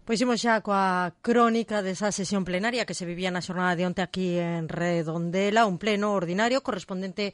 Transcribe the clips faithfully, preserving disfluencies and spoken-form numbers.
Pois imos xa coa crónica desa sesión plenaria que se vivía na xornada de onte aquí en Redondela, un pleno ordinario correspondente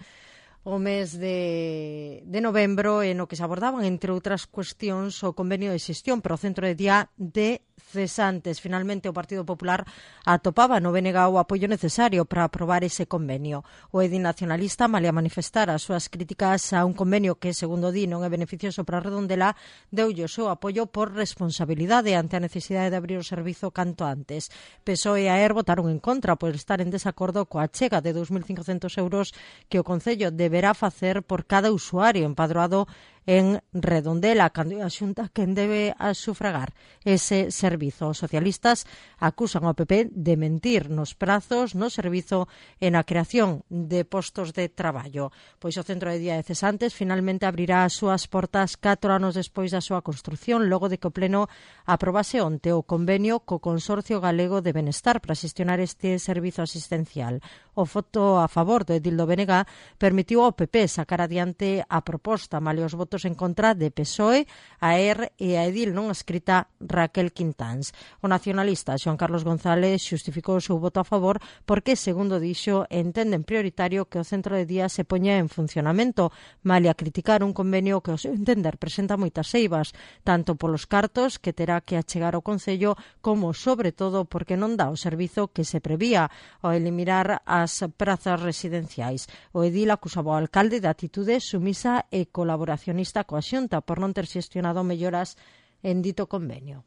o mes de, de novembro, en o que se abordaban, entre outras cuestións, o convenio de xestión para o centro de día de cesantes. Finalmente, o Partido Popular atopaba no B N G o apoio necesario para aprobar ese convenio. O edil nacionalista, malia manifestar as súas críticas a un convenio que, segundo di, non é beneficioso para Redondela, deulle o seu apoio por responsabilidade ante a necesidade de abrir o servizo canto antes. P S O E e A E R votaron en contra por estar en desacordo coa chega de dous mil cincocentos euros que o Concello deberá facer por cada usuario empadroado en Redondela, cando a Xunta quen debe a sufragar ese servizo. Os socialistas acusan ao P P de mentir nos prazos, no servizo e na creación de postos de traballo. Pois o centro de día de cesantes finalmente abrirá as súas portas catro anos despois da súa construción, logo de que o Pleno aprobase onte o convenio co Consorcio Galego de Benestar para xestionar este servizo asistencial. O voto a favor do edil do B N G permitiu ao P P sacar adiante a proposta, malia os votos en contra de P S O E, A E R e a edil non escrita Raquel Quintáns. O nacionalista Xoán Carlos González xustificou o seu voto a favor porque, segundo dixo, entenden prioritario que o centro de día se poña en funcionamento, malia criticar un convenio que, ao seu entender, presenta moitas eivas, tanto polos cartos que terá que achegar ao Concello, como, sobre todo, porque non dá o servizo que se prevía ao eliminar as prazas residenciais. O edil acusaba ao alcalde de atitude sumisa e colaboracionista coa Xunta por non ter xestionado melloras en dito convenio.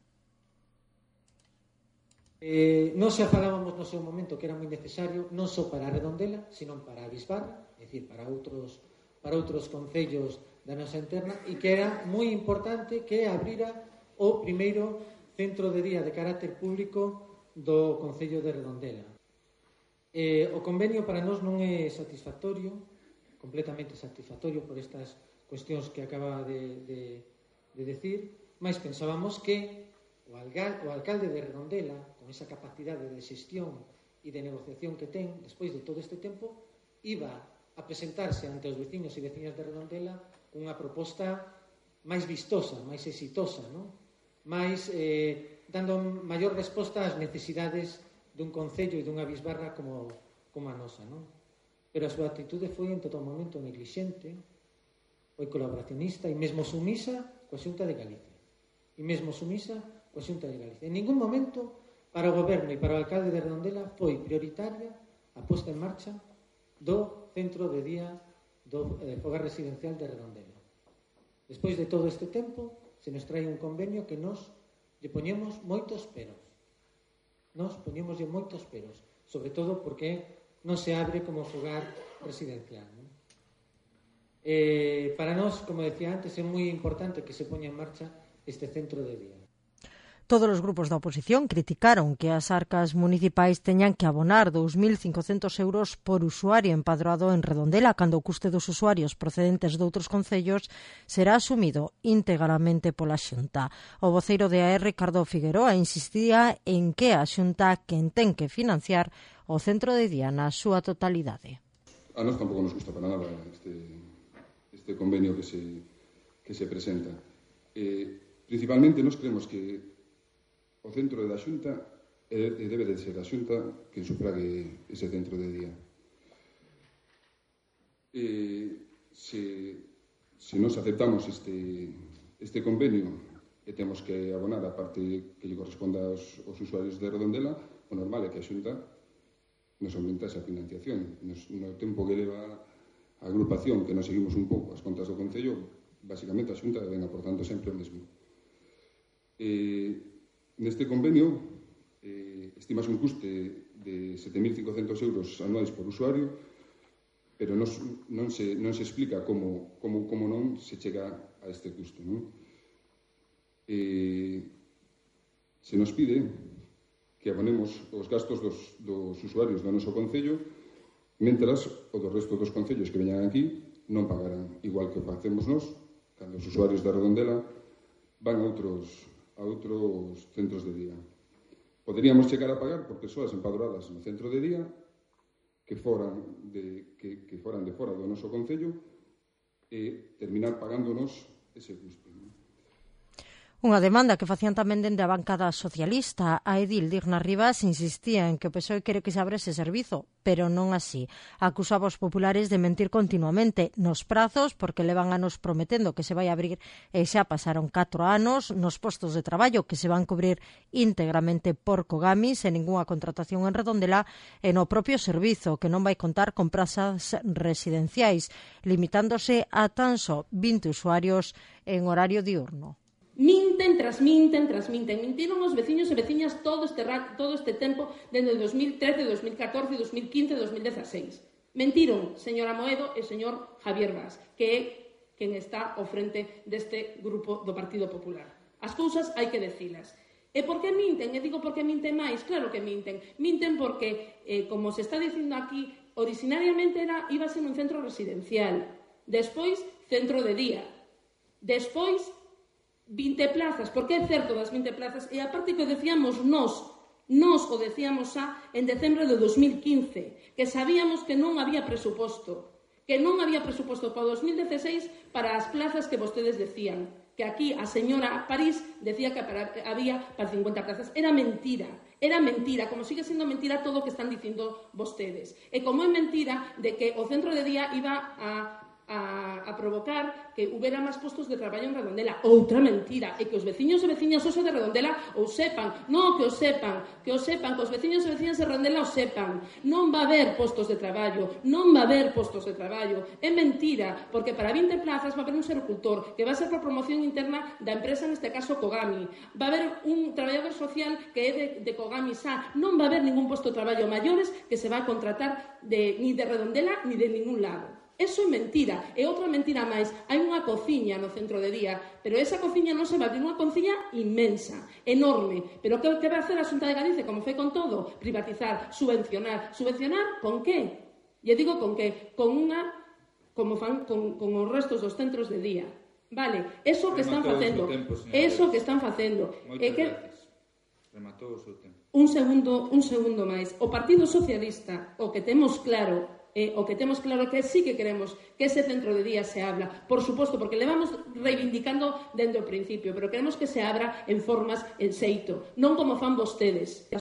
Eh, non xa falábamos no seu momento que era moi necesario non só para a Redondela, sino para a Bisbarra, é dicir, para outros para outros concellos da nosa interna, e que era moi importante que abrira o primeiro centro de día de carácter público do Concello de Redondela. Eh, o convenio para nós non é satisfactorio, completamente satisfactorio por estas cuestións que acaba de, de, de decir, mas pensábamos que o, alga, o alcalde de Redondela, con esa capacidade de xestión e de negociación que ten despois de todo este tempo, iba a presentarse ante os veciños e veciñas de Redondela unha proposta máis vistosa, máis exitosa, non? máis eh, dando maior resposta ás necesidades dun concello e dunha bisbarra como, como a nosa, non? Pero a súa actitude foi en todo momento neglixente, foi colaboracionista e mesmo sumisa coa Xunta de Galicia. E mesmo sumisa coa Xunta de Galicia. En ningún momento, para o goberno e para o alcalde de Redondela, foi prioritaria a posta en marcha do centro de día do eh, fogar residencial de Redondela. Despois de todo este tempo, se nos trae un convenio que nos lle poñemos moitos peros. Nos poñemos moitos peros, sobre todo porque non se abre como fogar residencial, non? Eh, para nós, como decía antes, é moi importante que se poña en marcha este centro de día. Todos os grupos da oposición criticaron que as arcas municipais teñan que abonar dous mil cincocentos euros por usuario empadroado en Redondela, cando o custe dos usuarios procedentes de outros concellos será asumido íntegramente pola Xunta. O voceiro de A E R, Ricardo Figueroa, insistía en que a Xunta quen ten que financiar o centro de día na súa totalidade. A nós tampouco nos gusta para nada este, este convenio que se, que se presenta. Eh, principalmente, nos creemos que o centro da Xunta e debe de ser a Xunta quen sufrague ese centro de día. E se, se nos aceptamos este, este convenio e temos que abonar a parte que lle corresponda aos, aos usuarios de Redondela, o normal é que a Xunta nos aumenta esa financiación. Nos, no tempo que leva a agrupación, que nos seguimos un pouco as contas do Concello, basicamente a Xunta ven aportando sempre o mesmo. E neste convenio eh, estimase un custe de sete mil cincocentos euros anuais por usuario, pero nos, non, se, non se explica como, como, como non se chega a este custo, non? Eh, se nos pide que abonemos os gastos dos, dos usuarios do noso concello, mentras o do resto dos concellos que veñan aquí non pagarán, igual que o facemos nós, cando os usuarios da Redondela van a outros a outros centros de día. Poderíamos chegar a pagar por persoas empadroadas no centro de día que foran de, que, que foran de fora do noso concello e terminar pagándonos ese custo. Unha demanda que facían tamén dende a bancada socialista. A edil Digna Rivas insistía en que o P S O E quere que se abra ese servizo, pero non así. Acusaba os populares de mentir continuamente nos prazos, porque levan anos prometendo que se vai abrir e xa pasaron catro anos, nos postos de traballo que se van cubrir íntegramente por Cogami, sen ninguna contratación en Redondela, e no propio servizo, que non vai contar con prazas residenciais, limitándose a tan só vinte usuarios en horario diurno. Minten, transminten, transminten. Mintiron os veciños e veciñas todo este, todo este tempo, dende dos mil trece, dos mil catorce, dos mil quince, dos mil dezasseis. Mentiron, señora Moedo e señor Javier Vaz, que é quen está ao frente deste grupo do Partido Popular. As cousas hai que decilas. E por que minten? E digo por que minten máis. Claro que minten. Minten porque, eh, como se está dicindo aquí, originariamente era, iba a ser un centro residencial. Despois, centro de día. Despois, vinte plazas, porque é certo das vinte plazas, e aparte que o decíamos nós, nós o decíamos xa en decembro de dos mil quince, que sabíamos que non había presuposto, que non había presuposto para dos mil dezasseis para as plazas que vostedes decían, que aquí a señora París decía que para, había para cincuenta plazas. Era mentira, era mentira, como sigue sendo mentira todo o que están dicindo vostedes. E como é mentira de que o centro de día iba a A, a provocar que houbera máis postos de traballo en Redondela. Outra mentira, e que os veciños e veciñas oso de Redondela ou sepan, non que o sepan, que o sepan, que os veciños e veciñas de Redondela o sepan. Non va a haber postos de traballo, non va a haber postos de traballo. É mentira, porque para vinte plazas va a haber un sericultor, que va a ser por promoción interna da empresa, neste caso Cogami. Va a haber un traballador social que é de, de Cogami xa. Non va a haber ningún posto de traballo maiores que se va a contratar de, ni de Redondela ni de ningún lado. Eso é mentira. E outra mentira máis. Hai unha cociña no centro de día, pero esa cociña non se va a abrir, unha cociña inmensa, enorme. Pero que, que vai a hacer a Xunta de Galicia, como foi con todo? Privatizar, subvencionar. Subvencionar con que? E digo con que? Con unha, como fan con, con os restos dos centros de día. Vale, eso que están facendo. Eso que están facendo. Moitas gracias. Rematou o seu tempo. Un segundo, un segundo máis. O Partido Socialista, o que temos claro, Eh, o que temos claro que sí que queremos que ese centro de día se abra, por suposto, porque le vamos reivindicando dende o principio, pero queremos que se abra en formas, en xeito, non como fan vostedes.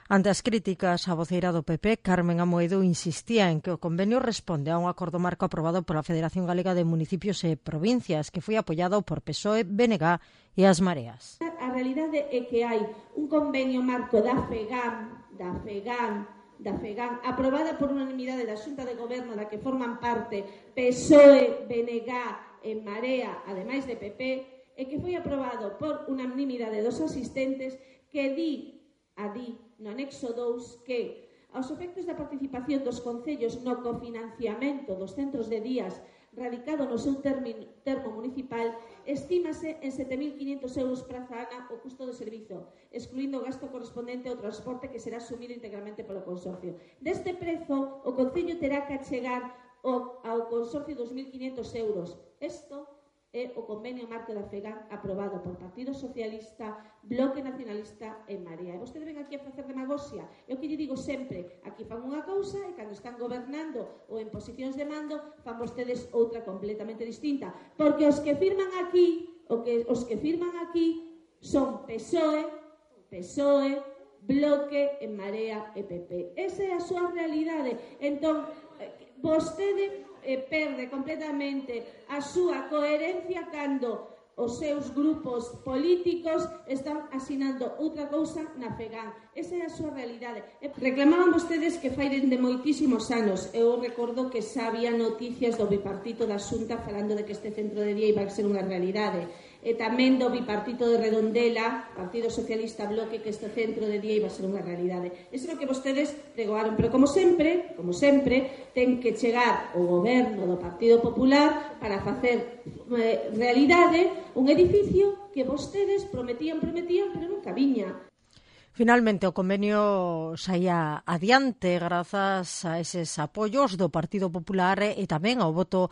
Ante as críticas, a voceira do P P, Carmen Amoedo, insistía en que o convenio responde a un acordo marco aprobado pola Federación Galega de Municipios e Provincias, que foi apoiado por P S O E, B N G e as Mareas. A realidade é que hai un convenio marco da FEGAM, da FEGAM, da FEGAM, aprobada por unanimidade da Xunta de Goberno da que forman parte P S O E, B N G e Marea, ademais de P P, e que foi aprobado por unanimidade dos asistentes, que di, a di no anexo dous, que aos efectos da participación dos concellos no cofinanciamento dos centros de días radicado no seu termino, termo municipal, estímase en sete mil quinhentos euros praza ana o custo do servizo, excluindo o gasto correspondente ao transporte que será asumido integralmente polo consorcio. Deste prezo, o Concello terá que achegar ao, ao consorcio dos mil quinhentos euros. Isto é o convenio marco da FEGAM aprobado por Partido Socialista, Bloque Nacionalista e Marea. E vostede ven aquí a facer demagoxia. É o que lle digo sempre, aquí fan unha cousa e cando están gobernando ou en posicións de mando fan vostedes outra completamente distinta. Porque os que firman aquí, o que, os que firman aquí son P S O E, P S O E, Bloque e Marea e P P. Esa é a súa realidade. Entón, vostede eh, perde completamente a súa coherencia cando os seus grupos políticos están asinando outra cousa na FEGAM. Esa é a súa realidade. E reclamaban vostedes que fai dende moitísimos anos. Eu recordo que xa había noticias do bipartito da Xunta falando de que este centro de día iba a ser unha realidade. E tamén do bipartito de Redondela, Partido Socialista, Bloque, que este centro de día iba a ser unha realidade. Eso é o que vostedes pregoaron. Pero como sempre, como sempre, ten que chegar o goberno do Partido Popular para facer eh, realidade un edificio que vostedes prometían, prometían, pero nunca viña. Finalmente, o convenio saía adiante grazas a eses apoios do Partido Popular e tamén ao voto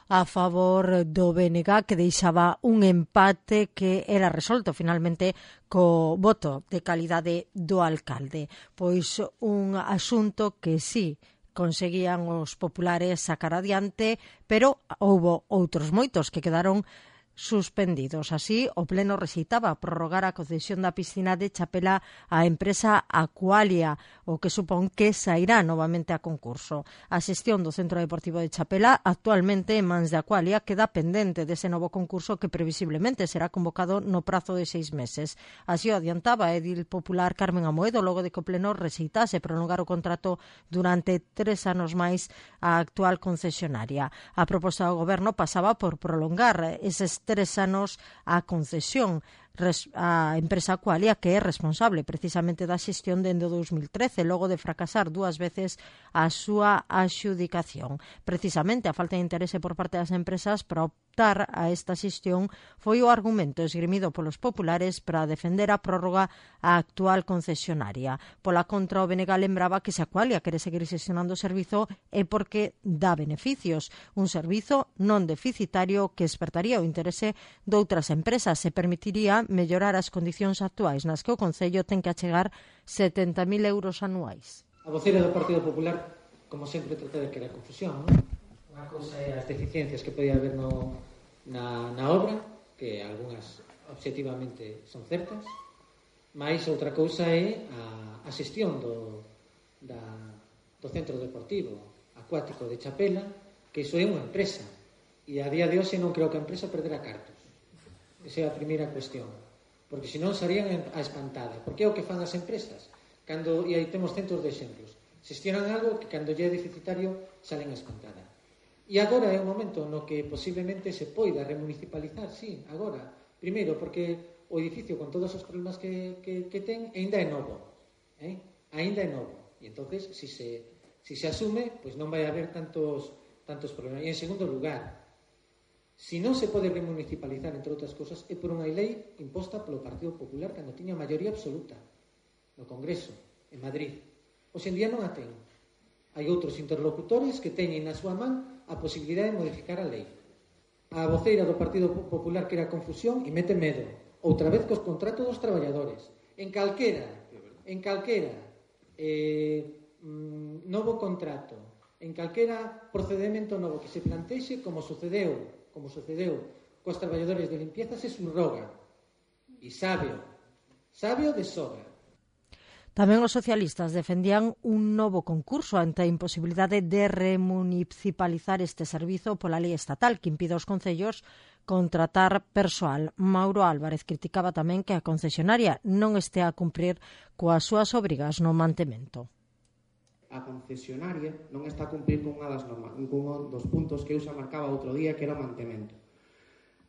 a favor do B N G, que deixaba un empate que era resolto finalmente co voto de calidade do alcalde. Pois un asunto que sí conseguían os populares sacar adiante, pero houbo outros moitos que quedaron suspendidos. Así, o Pleno rexeitaba prorrogar a concesión da piscina de Chapela á empresa Aqualia, o que supón que sairá novamente a concurso. A xestión do Centro Deportivo de Chapela, actualmente en mans de Aqualia, queda pendente dese novo concurso que previsiblemente será convocado no prazo de seis meses. Así o adiantaba a edil popular Carmen Amoedo logo de que o Pleno rexeitase prolongar o contrato durante tres anos máis a actual concesionaria. A proposta do Goberno pasaba por prolongar eses tres anos a concesión a empresa Aqualia, que é responsable precisamente da xestión dende o dous mil trece, logo de fracasar dúas veces a súa axudicación. Precisamente a falta de interese por parte das empresas para optar a esta xestión foi o argumento esgrimido polos populares para defender a prórroga á actual concesionaria. Pola contra, o B N G lembraba que se Aqualia quere seguir xestionando o servizo é porque dá beneficios, un servizo non deficitario que despertaría o interese de outras empresas e permitiría mellorar as condicións actuais nas que o Concello ten que achegar setenta mil euros anuais. A voceira do Partido Popular, como sempre, trata de crear confusión, non? Unha cousa é as deficiencias que podía haber no, na, na obra, que algunhas objetivamente son certas, mais outra cousa é a, a xestión do, da, do Centro Deportivo Acuático de Chapela, que iso é unha empresa, e a día de hoxe non creo que a empresa perderá cartos. Esa é a primeira cuestión, porque senón serían a espantada. Porque é o que fan as empresas cando, e aí temos centros de exemplos, xestionan algo que cando lle é deficitario salen a espantada. E agora é un momento no que posiblemente se poida remunicipalizar, sí, agora, primeiro porque o edificio con todos os problemas que, que, que ten ainda é novo, eh? ainda é novo, e entonces si se, si se asume, pois non vai haber tantos, tantos problemas. E en segundo lugar, si non se pode remunicipalizar, entre outras cosas, é por unha lei imposta polo Partido Popular cando tiña maioría absoluta no Congreso, en Madrid. Hoxe en día non a ten. Hai outros interlocutores que teñen na súa man a posibilidade de modificar a lei. A voceira do Partido Popular crea confusión e mete medo. Outra vez cos contratos dos traballadores. En calquera, en calquera eh, novo contrato, en calquera procedimento novo que se plantexe, como sucedeu como sucedeu cos traballadores de limpieza, se subroga. E sábeo, sábeo de sobra. Tamén os socialistas defendían un novo concurso ante a imposibilidade de remunicipalizar este servizo pola lei estatal que impide aos concellos contratar persoal. Mauro Álvarez criticaba tamén que a concesionaria non estea a cumprir coas súas obrigas no mantemento. A concesionaria non está a cumprir con unha das normas, con un dos puntos que eu xa marcaba outro día, que era o mantemento.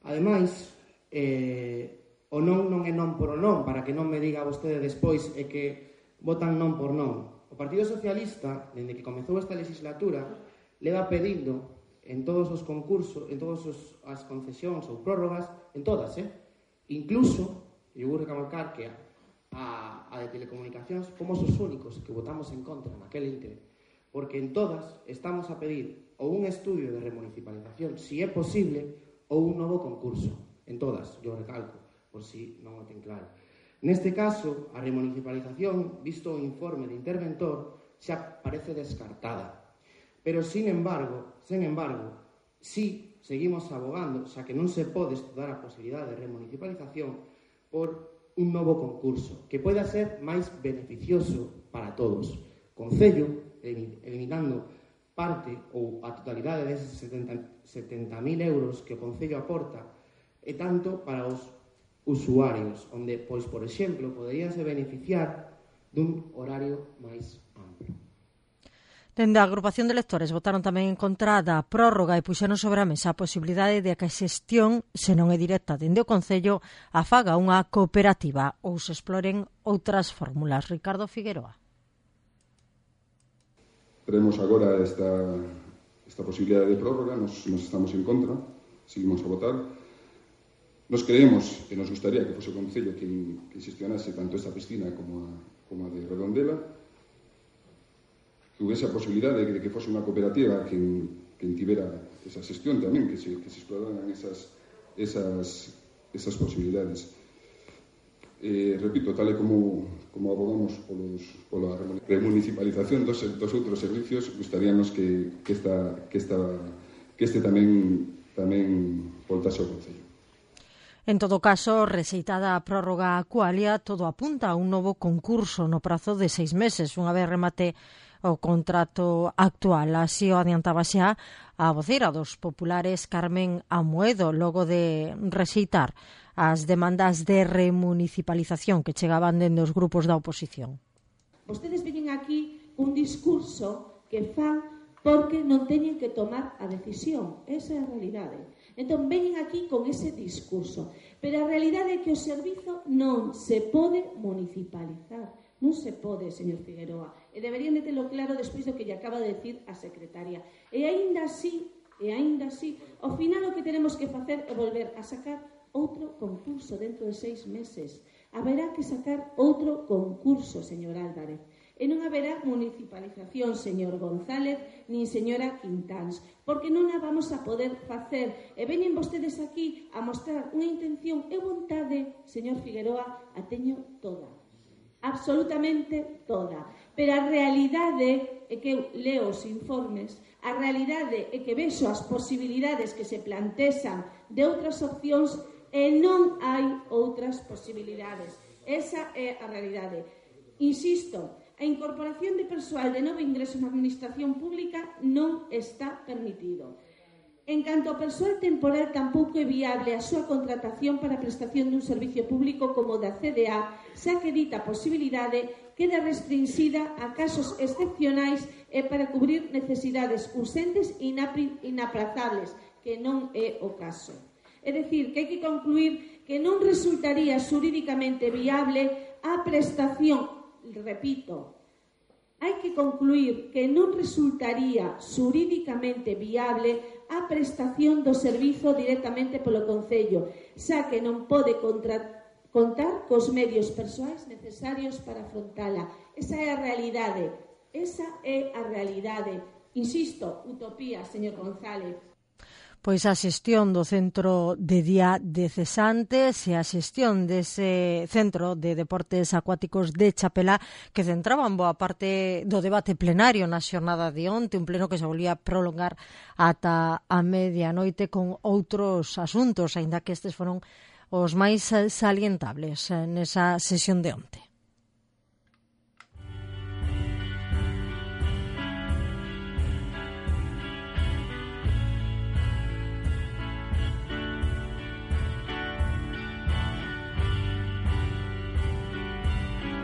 Ademais, eh, o non non é non por o non, para que non me diga vostede despois é que votan non por non. O Partido Socialista, dende que comezou esta legislatura, leva pedindo en todos os concursos, en todas as concesións ou prórrogas, en todas, eh? Incluso, eu vou recalcar que a, a de telecomunicacións fomos os únicos que votamos en contra naquel intre, porque en todas estamos a pedir ou un estudio de remunicipalización, si é posible, ou un novo concurso. En todas, yo recalco, por si non o ten claro. Neste caso, a remunicipalización, visto o informe de interventor, xa parece descartada. Pero, sin embargo, sin embargo, si seguimos abogando, xa que non se pode estudar a posibilidade de remunicipalización por un novo concurso que poida ser máis beneficioso para todos. Concello, eliminando parte ou a totalidade deses setenta mil euros que o Concello aporta, e tanto para os usuarios, onde, pois, por exemplo, poderíanse beneficiar dun horario máis amplo. Dende a agrupación de lectores votaron tamén en contra da prórroga e puxeron sobre a mesa a posibilidade de que a xestión, se non é directa dende o Concello, a faga unha cooperativa ou se exploren outras fórmulas. Ricardo Figueroa. Veremos agora esta, esta posibilidade de prórroga, nos, nos estamos en contra, seguimos a votar. Nos creemos e nos gustaría que fose o Concello que, que xestionase tanto esta piscina como a, como a de Redondela, que houvese a posibilidade de que fose unha cooperativa que, que tivera esa xestión tamén, que se, que se exploraran esas, esas, esas posibilidades. Eh, repito, tal e como, como abogamos polos, pola remunicipalización dos, dos outros servicios, gustaríamos que, que, esta, que, esta, que este tamén, tamén voltase ao Concello. En todo caso, rexeitada a prórroga acualia, todo apunta a un novo concurso no prazo de seis meses, unha vez remate o contrato actual. Así o adiantaba xa a voceira dos populares Carmen Amoedo, logo de rexeitar as demandas de remunicipalización que chegaban dende os grupos da oposición. Vostedes veñen aquí un discurso que fan porque non teñen que tomar a decisión. Esa é a realidade. Entón, veñen aquí con ese discurso. Pero a realidade é que o servizo non se pode municipalizar. Non se pode, señor Figueroa. E deberían de telo claro despois do que lle acaba de decir a secretaria. E aínda así, e aínda así, ao final o que tenemos que facer é volver a sacar outro concurso dentro de seis meses. Haberá que sacar outro concurso, señor Álvarez. E non haberá municipalización, señor González, nin señora Quintáns, porque non a vamos a poder facer. E veñen vostedes aquí a mostrar unha intención e vontade, señor Figueroa, a teño toda. Absolutamente toda. Pero a realidade é que eu leo os informes, a realidade é que vexo as posibilidades que se plantexan de outras opcións e non hai outras posibilidades. Esa é a realidade. Insisto, a incorporación de persoal de novo ingreso na administración pública non está permitido. En canto ao persoal temporal, tampouco é viable a súa contratación para a prestación dun servicio público como o da C D A, xa que dita posibilidade queda restringida a casos excepcionais e para cubrir necesidades urxentes e inaprazables, que non é o caso. É dicir, que hai que concluir que non resultaría xurídicamente viable a prestación, repito, hai que concluir que non resultaría xurídicamente viable a prestación do servizo directamente polo Concello, xa que non pode contra, contar cos medios persoais necesarios para afrontala. Esa é a realidade, esa é a realidade. Insisto, utopía, señor González. Pois a xestión do Centro de Día de Cesantes e a xestión dese Centro de Deportes Acuáticos de Chapela que centraban boa parte do debate plenario na xornada de onte, un pleno que se volvía prolongar ata a medianoite con outros asuntos, aínda que estes foron os máis salientables nesa sesión de onte.